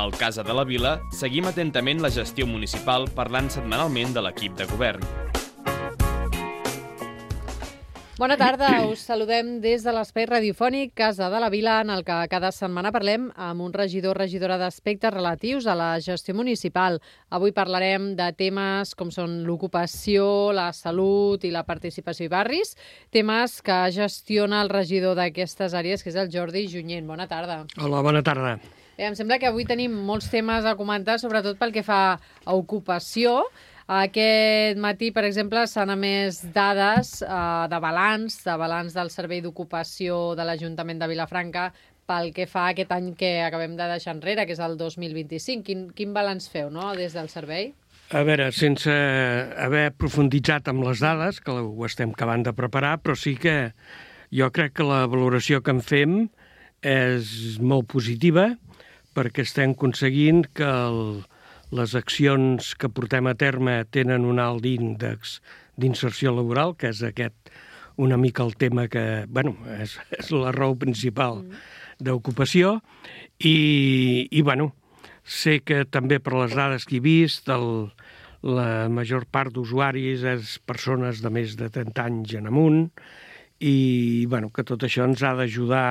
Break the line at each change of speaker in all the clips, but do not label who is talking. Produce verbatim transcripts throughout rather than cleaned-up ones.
Al Casa de la Vila seguim atentament la gestió municipal parlant setmanalment de l'equip de govern.
Bona tarda, us saludem des de l'espai radiofònic Casa de la Vila, en el que cada setmana parlem amb un regidor o regidora d'aspectes relatius a la gestió municipal. Avui parlarem de temes com són l'ocupació, la salut i la participació i barris, temes que gestiona el regidor d'aquestes àrees, que és el Jordi Junyent. Bona tarda.
Hola, bona tarda.
Bé, em sembla que avui tenim molts temes a comentar, sobretot pel que fa a ocupació. Aquest matí, per exemple, s'han emès dades eh, de balanç, de balanç del Servei d'Ocupació de l'Ajuntament de Vilafranca pel que fa a aquest any que acabem de deixar enrere, que és el dos mil vint-i-cinc. Quin, quin balanç feu, no?, des del servei?
A veure, sense haver profunditzat amb les dades, que ho estem acabant de preparar, però sí que jo crec que la valoració que en fem és molt positiva, perquè estem aconseguint que el les accions que portem a terme tenen un alt índex d'inserció laboral, que és aquest una mica el tema que, bueno, és, és la raó principal mm. d'ocupació, i, i, bueno, sé que també per les dades que he vist, el, la major part d'usuaris és persones de més de trenta anys en amunt, i, bueno, que tot això ens ha d'ajudar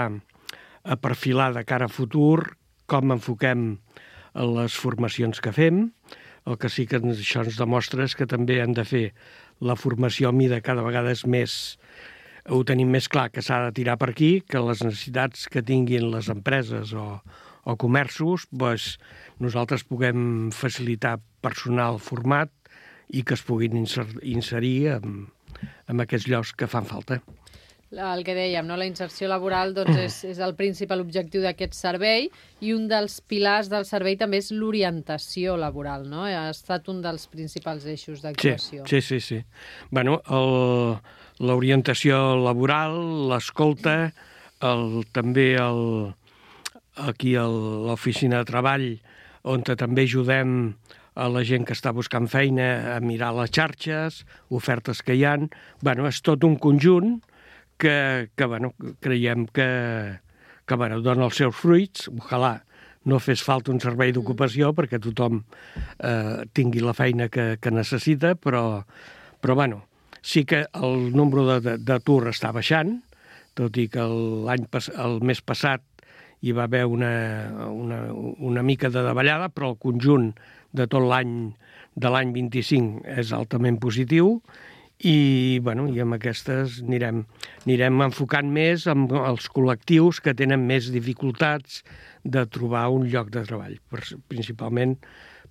a perfilar de cara a futur com enfoquem les formacions que fem. El que sí que això ens demostra és que també hem de fer la formació a mida cada vegada és més, ho tenim més clar que s'ha de tirar per aquí, que les necessitats que tinguin les empreses o, o comerços, doncs, nosaltres puguem facilitar personal format i que es puguin inserir en, en aquests llocs que fan falta.
El que dèiem, no? La inserció laboral doncs, és, és el principal objectiu d'aquest servei, i un dels pilars del servei també és l'orientació laboral, no? Ha estat un dels principals eixos d'actuació.
Sí, sí, sí. sí. Bueno, l'orientació laboral, l'escolta, el, també el, aquí a l'oficina de treball, on també ajudem a la gent que està buscant feina a mirar les xarxes, ofertes que hi ha. Bueno, és tot un conjunt que, que bueno, creiem que, que bueno, dona els seus fruits. Ojalà no fes falta un servei d'ocupació mm. perquè tothom eh, tingui la feina que, que necessita, però, però bueno, sí que el nombre d'atur està baixant, tot i que l'any el mes passat hi va haver una, una, una mica de davallada, però el conjunt de tot l'any de l'any vint-i-cinc és altament positiu. I, bueno, i amb aquestes anirem, anirem enfocant més amb els col·lectius que tenen més dificultats de trobar un lloc de treball. Principalment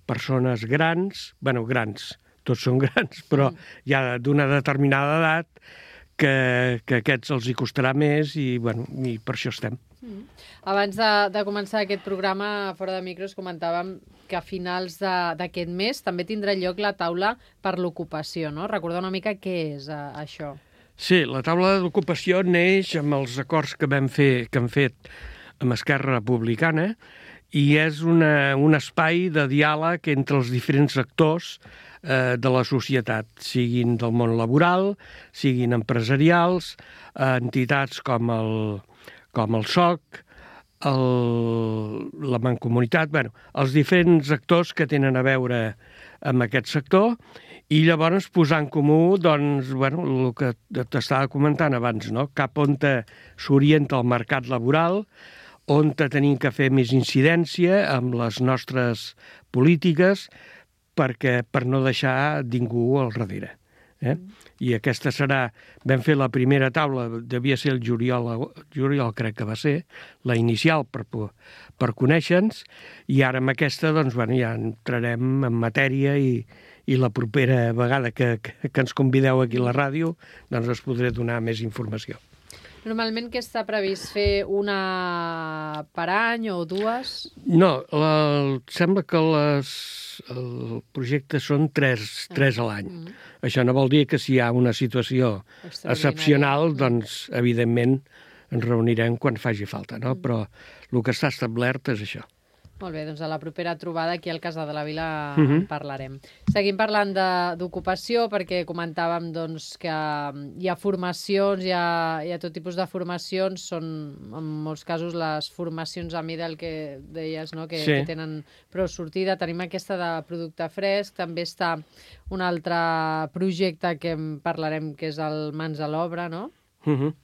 persones grans, bueno, grans, tots són grans, però ja d'una determinada edat que, que aquests els hi costarà més i, bueno, i per això estem.
Mm. Abans de, de començar aquest programa, fora de micros, comentàvem que a finals d'aquest mes també tindrà lloc la taula per l'ocupació, no? Recordar una mica què és uh, això.
Sí, la taula d'ocupació neix amb els acords que vam fer, que hem fet amb Esquerra Republicana, i és una, un espai de diàleg entre els diferents actors eh, de la societat, siguin del món laboral, siguin empresarials, eh, entitats com el, com el S O C, el, la Mancomunitat, bueno, els diferents actors que tenen a veure amb aquest sector, i llavors posar en comú, doncs, bueno, el que t'estava comentant abans, no? Cap on s'orienta el mercat laboral, on tenim que fer més incidència amb les nostres polítiques perquè per no deixar ningú al darrere. Eh? I aquesta serà... Vam fer la primera taula, devia ser el juliol, juliol crec que va ser, la inicial per, per conèixer-nos, i ara amb aquesta doncs, bueno, ja entrarem en matèria i, i la propera vegada que, que, que ens convideu aquí a la ràdio doncs us podré donar més informació.
Normalment què està previst? Fer una per any o dues?
No, la, sembla que les, el projecte són tres, tres a l'any. Mm. Això no vol dir que si hi ha una situació excepcional, doncs, evidentment, ens reunirem quan faci falta, no? Mm. Però el que està establert és això.
Molt bé, doncs a la propera trobada aquí al Casa de la Vila
Uh -huh.
en parlarem. Seguim parlant de- d'ocupació perquè comentàvem doncs, que hi ha formacions, hi ha, hi ha tot tipus de formacions, són en molts casos les formacions a mida el que deies, no? que,
Sí.
que tenen prou sortida. Tenim aquesta de producte fresc, també està un altre projecte que en parlarem que és el Mans a l'Obra, no?
Uh -huh.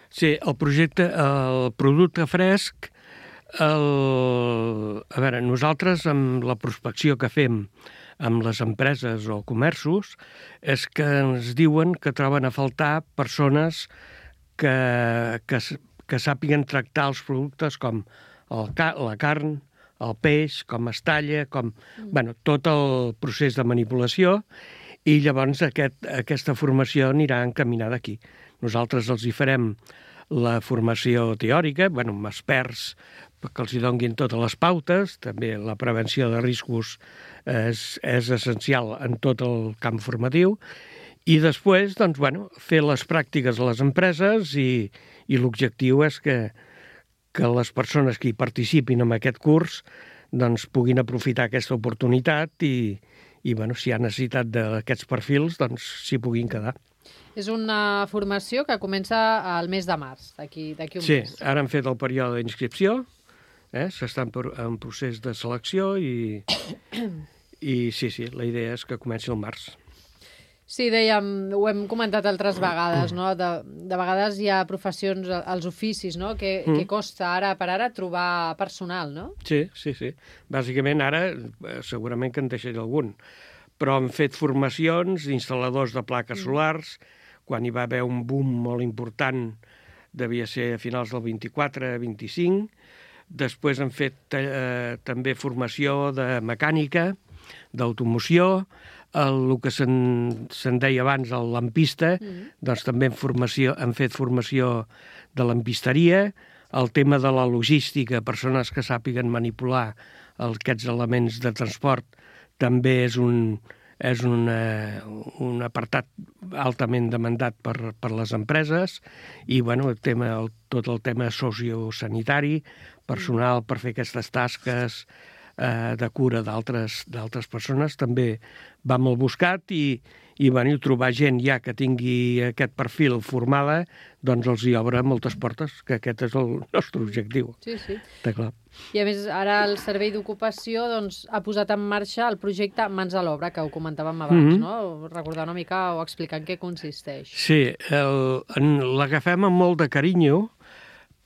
Sí, el projecte, el producte fresc, el... a veure, nosaltres amb la prospecció que fem amb les empreses o comerços és que ens diuen que troben a faltar persones que, que, que sàpiguen tractar els productes com el, la carn, el peix, com es talla, com... Mm. Bueno, tot el procés de manipulació, i llavors aquest, aquesta formació anirà encaminada aquí. Nosaltres els hi farem la formació teòrica, bueno, amb experts que els hi donguin totes les pautes, també la prevenció de riscos és, és essencial en tot el camp formatiu, i després, doncs, bueno, fer les pràctiques a les empreses i, i l'objectiu és que, que les persones que hi participin en aquest curs doncs, puguin aprofitar aquesta oportunitat i, i bueno, si hi ha necessitat d'aquests perfils, doncs s'hi puguin quedar.
És una formació que comença al mes de març, d'aquí un
sí,
mes.
Sí, ara hem fet el període d'inscripció, eh? s'està en, en procés de selecció i, i sí, sí, la idea és que comenci el març.
Sí, dèiem, ho hem comentat altres vegades, no? De, de vegades hi ha professions, els oficis, no? Que, mm. que costa ara per ara trobar personal, no?
Sí, sí, sí. Bàsicament ara segurament que en deixaré algun, però hem fet formacions d'instal·ladors de plaques mm. solars, quan hi va haver un boom molt important, devia ser a finals del vint-i-quatre vint-i-cinc. Després hem fet eh, també formació de mecànica, d'automoció, el, el que se'n se deia abans el lampista, mm. doncs també hem, formació, hem fet formació de lampisteria, el tema de la logística, persones que sàpiguen manipular aquests elements de transport, també és un... és una, un apartat altament demandat per, per les empreses i bueno, el tema, el, tot el tema sociosanitari, personal per fer aquestes tasques eh, de cura d'altres d'altres persones també va molt buscat i, i bueno, trobar gent ja que tingui aquest perfil formada doncs els hi obre moltes portes, que aquest és el nostre objectiu.
Sí, sí.
Està clar.
I a més, ara el Servei d'Ocupació doncs, ha posat en marxa el projecte Mans a l'Obra, que ho comentàvem abans, mm-hmm. no? Recordar una mica o explicar en què consisteix.
Sí, l'agafem amb molt de carinyo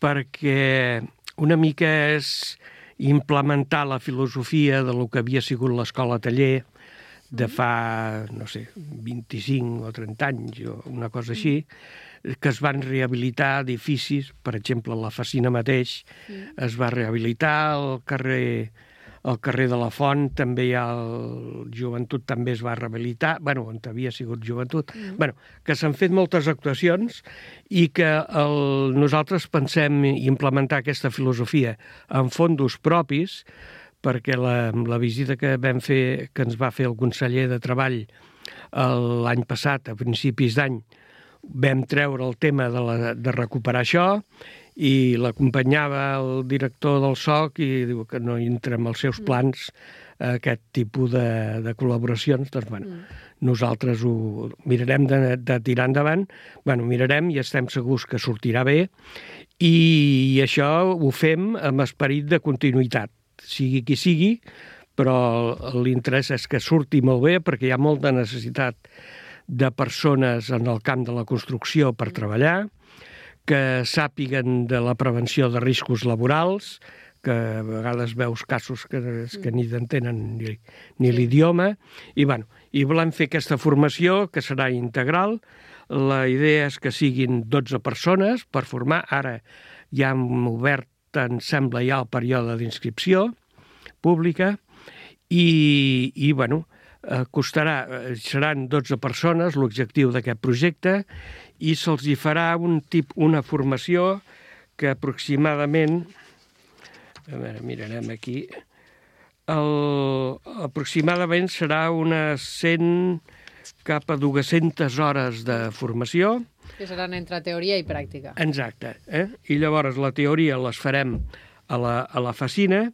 perquè una mica és implementar la filosofia de lo que havia sigut l'escola taller de fa, no sé, vint-i-cinc o trenta anys o una cosa així, que es van rehabilitar edificis, per exemple, la Facina mateix mm. es va rehabilitar, el carrer, el carrer de la Font també hi ha el Joventut també es va rehabilitar, bueno, on havia sigut Joventut, mm. bueno, que s'han fet moltes actuacions i que el, nosaltres pensem implementar aquesta filosofia en fondos propis, perquè la, la visita que vam fer, que ens va fer el conseller de Treball l'any passat, a principis d'any, vam treure el tema de, la, de recuperar això i l'acompanyava el director del S O C i diu que no entra en els seus plans aquest tipus de, de col·laboracions. Doncs, bueno, mm. nosaltres ho mirarem de, de tirar endavant, bueno, mirarem i estem segurs que sortirà bé i, i això ho fem amb esperit de continuïtat, sigui qui sigui, però l'interès és que surti molt bé perquè hi ha molta necessitat de persones en el camp de la construcció per treballar, que sàpiguen de la prevenció de riscos laborals, que a vegades veus casos que, que ni t'entenen ni, ni l'idioma, i, bueno, i volem fer aquesta formació que serà integral. La idea és que siguin dotze persones per formar. Ara ja hem obert, em sembla, ja el període d'inscripció pública, i, i bueno, costarà, seran dotze persones l'objectiu d'aquest projecte i se'ls hi farà un tip, una formació que aproximadament, a veure, mirarem aquí, el, aproximadament serà unes cent cap a dues-centes hores de formació.
Que seran entre teoria i pràctica.
Exacte. Eh? I llavors la teoria les farem a la, a la Facina.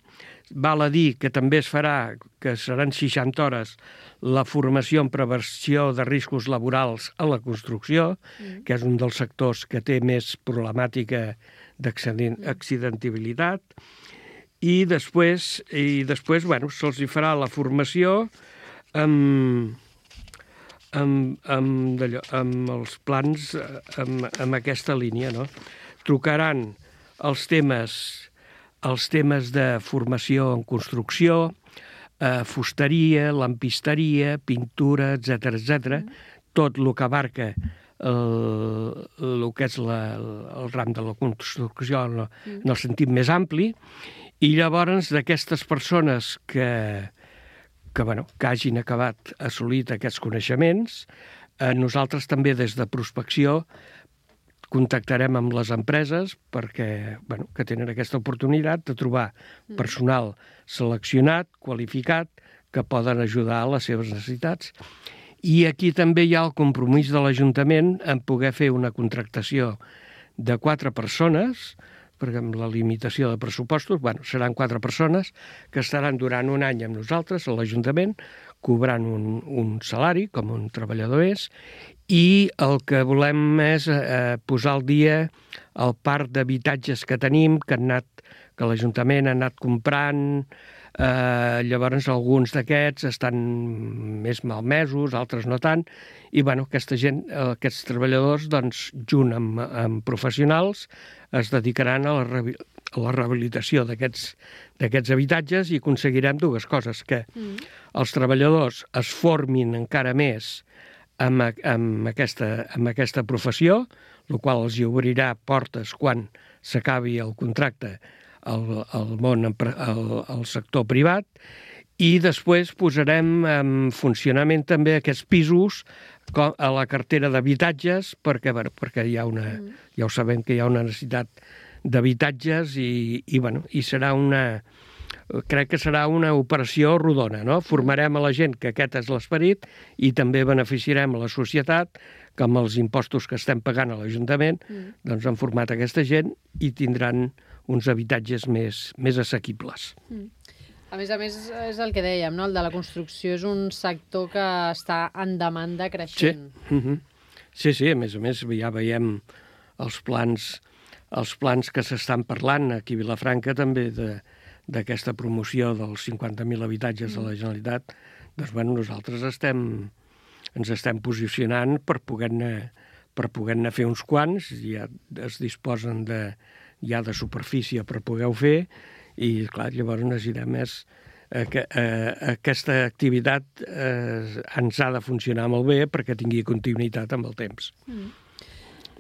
val a dir que també es farà, que seran seixanta hores, la formació en prevenció de riscos laborals a la construcció, mm. que és un dels sectors que té més problemàtica d'accidentabilitat, i després, i després bueno, se'ls hi farà la formació amb, amb, amb, d'allò, amb els plans, amb, amb aquesta línia, no? Trucaran els temes, els temes de formació en construcció, eh, fusteria, lampisteria, pintura, etcètera, etcètera, mm. tot el que abarca el, el que és la, el ram de la construcció en, mm. en el sentit més ampli, i llavors d'aquestes persones que, que, bueno, que hagin acabat assolit aquests coneixements, eh, nosaltres també des de prospecció contactarem amb les empreses perquè, bueno, que tenen aquesta oportunitat de trobar personal seleccionat, qualificat, que poden ajudar a les seves necessitats. I aquí també hi ha el compromís de l'Ajuntament en poder fer una contractació de quatre persones, perquè amb la limitació de pressupostos, bueno, seran quatre persones que estaran durant un any amb nosaltres, a l'Ajuntament, cobrant un, un salari, com un treballador és, i el que volem és eh, posar al dia el parc d'habitatges que tenim, que, han anat, que l'Ajuntament ha anat comprant. Eh, llavors alguns d'aquests estan més malmesos, altres no tant, i bueno, aquesta gent, aquests treballadors, doncs, junt amb, amb professionals, es dedicaran a la, a la rehabilitació d'aquests d'aquests habitatges i aconseguirem dues coses, que mm. els treballadors es formin encara més amb, amb, aquesta, amb aquesta professió, el qual els obrirà portes quan s'acabi el contracte al, al món, al, al sector privat, i després posarem en funcionament també aquests pisos a la cartera d'habitatges, perquè, bueno, perquè hi ha una, mm. ja ho sabem que hi ha una necessitat d'habitatges i, i, bueno, i serà una, crec que serà una operació rodona, no? Formarem a la gent que aquest és l'esperit i també beneficiarem a la societat que amb els impostos que estem pagant a l'Ajuntament mm. doncs han format aquesta gent i tindran uns habitatges més, més assequibles.
Mm. A més a més, és el que dèiem, no? El de la construcció és un sector que està en demanda creixent.
Sí, uh-huh. sí, sí, a més a més ja veiem els plans, els plans que s'estan parlant aquí a Vilafranca també de, d'aquesta promoció dels cinquanta mil habitatges de la Generalitat. Doncs bueno, nosaltres estem, ens estem posicionant per poder-ne per poder-ne fer uns quants, ja es disposen de, ja de superfície per poder-ho fer, i clar, llavors necessitem més eh, que eh, aquesta activitat eh, ens ha de funcionar molt bé perquè tingui continuïtat amb el temps.
Mm.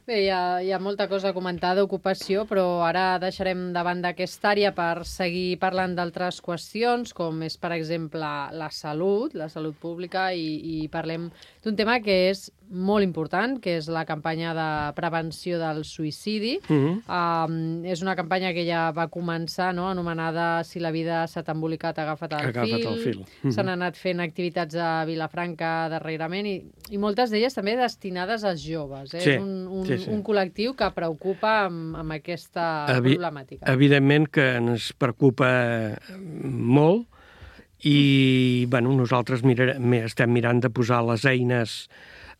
Bé, hi ha, hi ha molta cosa a comentar d'ocupació, però ara deixarem de banda aquesta àrea per seguir parlant d'altres qüestions, com és, per exemple, la salut, la salut pública, i, i parlem d'un tema que és molt important, que és la campanya de prevenció del suïcidi. Mm-hmm. um, és una campanya que ja va començar, no?, anomenada Si la vida s'ha embolicat, agafa't el
agafa't
fil.
el fil. Mm-hmm.
S'han anat fent activitats a Vilafranca darrerament i, i moltes d'elles també destinades als joves. Eh?
Sí,
és un, un,
sí, sí.
un col·lectiu que preocupa amb, amb aquesta Evi problemàtica.
Evidentment que ens preocupa molt i bueno, nosaltres mirar, estem mirant de posar les eines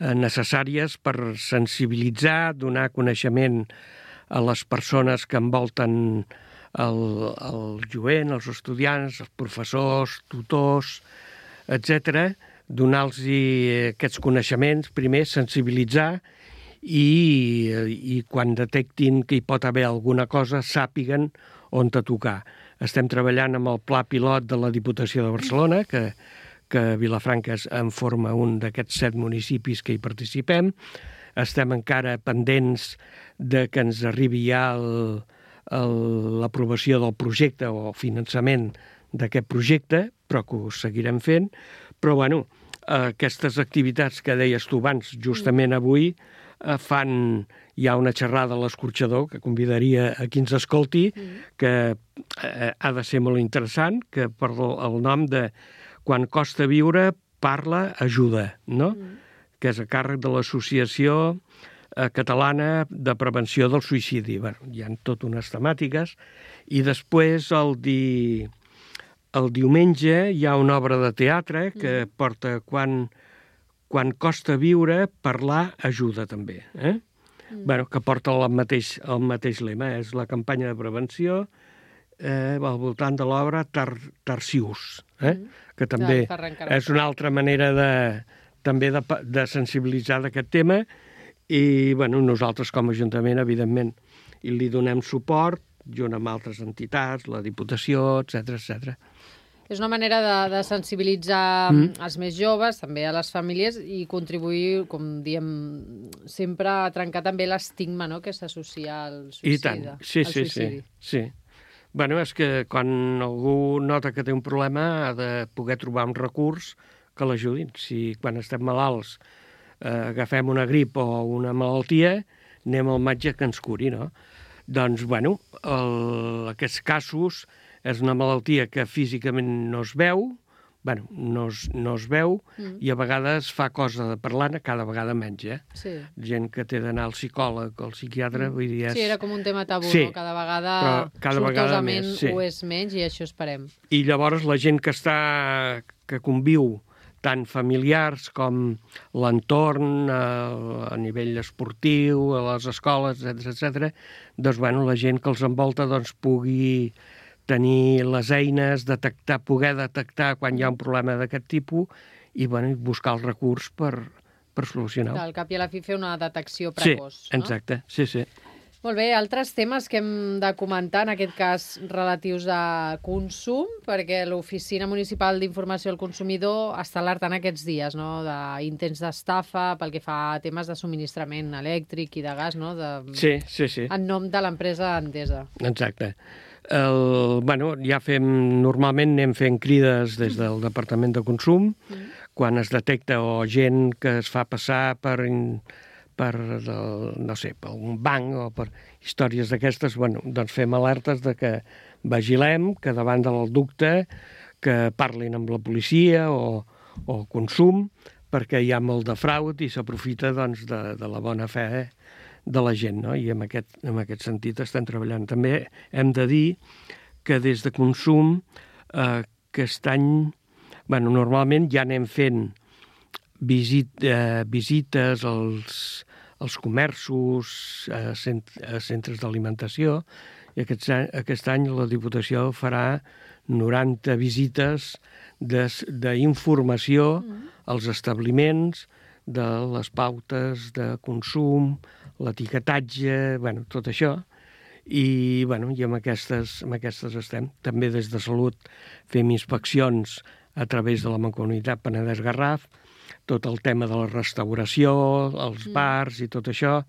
necessàries per sensibilitzar, donar coneixement a les persones que envolten el, el jovent, els estudiants, els professors, tutors, etcètera, donar-los aquests coneixements, primer sensibilitzar i, i quan detectin que hi pot haver alguna cosa, sàpiguen on te tocar. Estem treballant amb el pla pilot de la Diputació de Barcelona, que que Vilafranca en forma un d'aquests set municipis que hi participem. Estem encara pendents de que ens arribi ja l'aprovació del projecte o finançament d'aquest projecte, però que ho seguirem fent. Però, bueno, aquestes activitats que deies tu abans, justament avui, fan ja una xerrada a l'escorxador, que convidaria a qui ens escolti, que ha de ser molt interessant, que per el nom de Quan costa viure, parla, ajuda, no? Mm. Que és a càrrec de l'Associació Catalana de Prevenció del Suïcidi. Bé, hi ha tot unes temàtiques. I després el, di... el diumenge hi ha una obra de teatre que mm. porta quan, quan costa viure, parlar ajuda també. Eh? Mm. Bueno, que porta el mateix, el mateix lema, és la campanya de prevenció eh, al voltant de l'obra Tar Tarsius, eh? mm. que també és una altra manera de, també de, de sensibilitzar d'aquest tema, i bueno, nosaltres com a Ajuntament, evidentment, i li donem suport, junt amb altres entitats, la Diputació, etcètera, etcètera.
És una manera de, de sensibilitzar mm. els més joves, també a les famílies, i contribuir, com diem sempre, a trencar també l'estigma, no?, que s'associa al suïcidi.
I tant, sí, sí, sí, sí. Bueno, és que quan algú nota que té un problema ha de poder trobar un recurs que l'ajudin. Si quan estem malalts eh, agafem una grip o una malaltia, anem al metge que ens curi, no? Doncs, bueno, el, aquests casos és una malaltia que físicament no es veu, bueno, no es, no es veu, mm. i a vegades fa cosa de parlar, cada vegada menys, eh? Sí. Gent que té d'anar al psicòleg o al psiquiatre, mm. vull dir... És...
Sí, era com un tema tabú, sí, no? Cada vegada, cada sortosament vegada més, sí. ho és menys, i això esperem. I
llavors la gent que està, que conviu, tant familiars com l'entorn, a, a nivell esportiu, a les escoles, etcètera, etcètera, doncs, bueno, la gent que els envolta doncs, pugui tenir les eines, detectar, poder detectar quan hi ha un problema d'aquest tipus i, bueno, buscar el recurs per, per solucionar-ho.
Al cap i a la fi fer una detecció precoç.
Sí, exacte, no? sí, sí.
Molt bé, altres temes que hem de comentar, en aquest cas relatius a consum, perquè l'Oficina Municipal d'Informació al Consumidor està alertant aquests dies, no?, d'intents d'estafa pel que fa a temes de subministrament elèctric i de gas, no?, de...
sí, sí, sí.
en nom de l'empresa Endesa.
Exacte. El, bueno, ja fem, normalment anem fent crides des del Departament de Consum, mm. quan es detecta o gent que es fa passar per... per, no sé, per un banc o per històries d'aquestes, bueno, doncs fem alertes de que vigilem, que davant del dubte que parlin amb la policia o, o consum, perquè hi ha molt de fraud i s'aprofita doncs, de, de la bona fe de la gent, no? I en aquest, en aquest sentit estem treballant. També hem de dir que des de consum eh, aquest any, bueno, normalment ja anem fent visit, eh, visites als, als comerços, a, cent, a centres d'alimentació, i aquest, aquest any la Diputació farà noranta visites d'informació mm. als establiments, de les pautes de consum, l'etiquetatge, bueno, tot això, i, bueno, i amb aquestes, amb aquestes estem. També des de Salut fem inspeccions a través de la Mancomunitat Penedès-Garraf, tot el tema de la restauració, els mm. bars i tot això,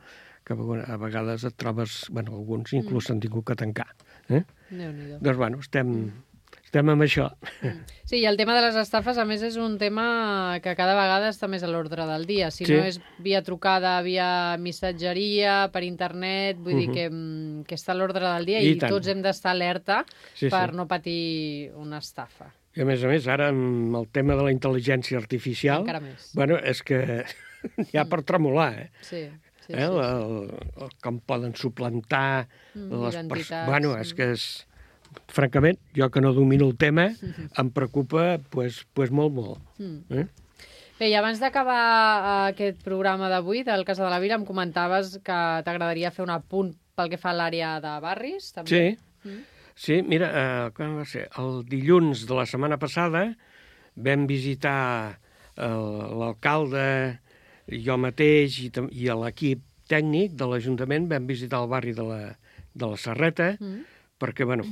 que a vegades et trobes, bueno, alguns inclús s'han mm. tingut que tancar. Eh? Doncs, bueno, estem... Mm. Estem amb això.
Sí, i el tema de les estafes, a més, és un tema que cada vegada està més a l'ordre del dia. Si sí. no és via trucada, via missatgeria, per internet, vull uh-huh. dir que, que està a l'ordre del dia i, i tots hem d'estar alerta sí, per sí. no patir una estafa.
I a més a més, ara amb el tema de la intel·ligència artificial,
encara més.
Bueno, és que hi ha per tremolar, eh?
Sí. Sí,
eh?
sí,
el, el, com poden suplantar
mm,
les persones. Bueno, és que és... Francament, jo que no domino el tema, em preocupa pues, pues molt, molt. Eh?
Bé, i abans d'acabar aquest programa d'avui del Casa de la Vila, em comentaves que t'agradaria fer un apunt pel que fa a l'àrea de barris, també?
Sí, mm. sí mira, eh, quan va ser? El dilluns de la setmana passada vam visitar l'alcalde, jo mateix i, i l'equip tècnic de l'Ajuntament, vam visitar el barri de la, de la Serreta, mm. perquè, bueno,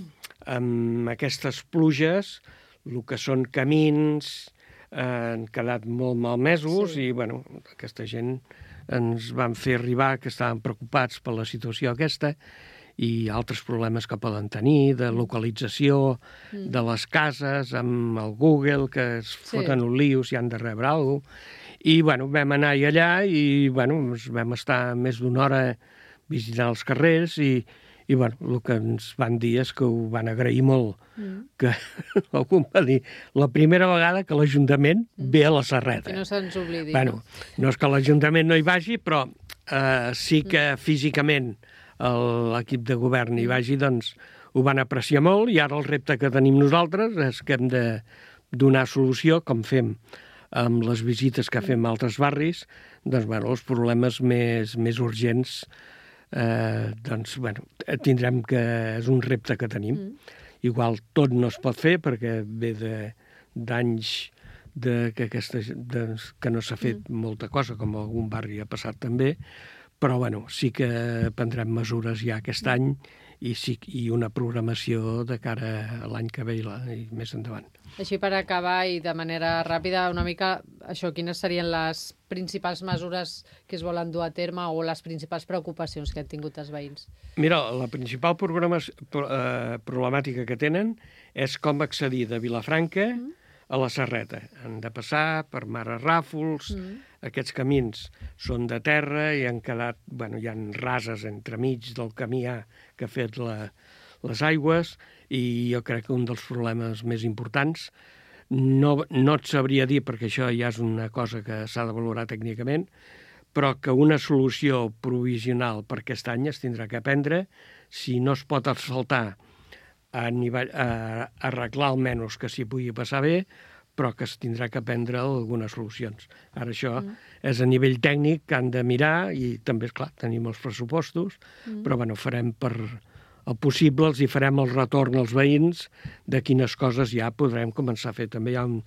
amb aquestes pluges, el que són camins, eh, han quedat molt malmesos sí. i, bueno, aquesta gent ens van fer arribar que estaven preocupats per la situació aquesta i altres problemes que poden tenir, de localització mm. de les cases, amb el Google, que es sí. foten un lío si han de rebre alguna cosa. I, bueno, vam anar allà i, bueno, vam estar més d'una hora visitant els carrers i I, bueno, el que ens van dir és que ho van agrair molt, mm. que algú va dir la primera vegada que l'Ajuntament mm. ve a la Serreta.
Que no se'ns oblidi.
Bueno, no? no és que l'Ajuntament no hi vagi, però eh, sí que mm. físicament l'equip de govern hi vagi, doncs ho van apreciar molt, i ara el repte que tenim nosaltres és que hem de donar solució, com fem amb les visites que fem a altres barris, doncs, bueno, els problemes més, més urgents, eh, doncs, bueno, tindrem que... és un repte que tenim. Mm. Igual tot no es pot fer, perquè ve d'anys de, que, aquesta, de, que no s'ha fet mm. molta cosa, com algun barri ha passat també, però bueno, sí que prendrem mesures ja aquest any i, sí, i una programació de cara a l'any que ve i, la, i més endavant.
Així per acabar i de manera ràpida, una mica, això, quines serien les principals mesures que es volen dur a terme o les principals preocupacions que han tingut els veïns?
Mira, la principal eh, problemàtica que tenen és com accedir de Vilafranca mm. a la Serreta. Han de passar per Mare Ràfols, mm. aquests camins són de terra i han quedat, bueno, hi ha rases entremig del camí A que ha fet la, les aigües, i jo crec que un dels problemes més importants, no, no et sabria dir, perquè això ja és una cosa que s'ha de valorar tècnicament, però que una solució provisional per aquest any es tindrà que prendre. Si no es pot asfaltar, a nivell, a arreglar almenys que s'hi pugui passar bé, però que es tindrà que prendre algunes solucions. Ara això mm. és a nivell tècnic que han de mirar, i també, és clar, tenim els pressupostos, mm. però bueno, farem per el possible, els hi farem el retorn als veïns de quines coses ja podrem començar a fer. També hi ha un,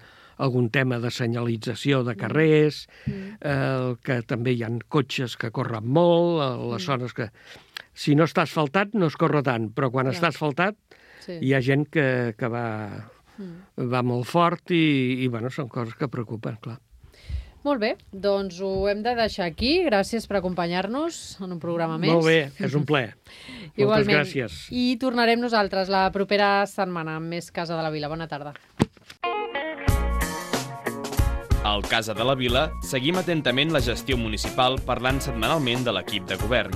algun tema de senyalització de carrers, mm. eh, que també hi ha cotxes que corren molt, a les mm. zones que... Si no està asfaltat no es corre tant, però quan ja. està asfaltat sí. hi ha gent que, que va, mm. va molt fort i, i bueno, són coses que preocupen, clar.
Molt bé, doncs ho hem de deixar aquí. Gràcies per acompanyar-nos en un programa més.
Molt bé, és un plaer. Moltes gràcies.
I tornarem nosaltres la propera setmana amb més Casa de la Vila. Bona tarda.
Al Casa de la Vila seguim atentament la gestió municipal parlant setmanalment de l'equip de govern.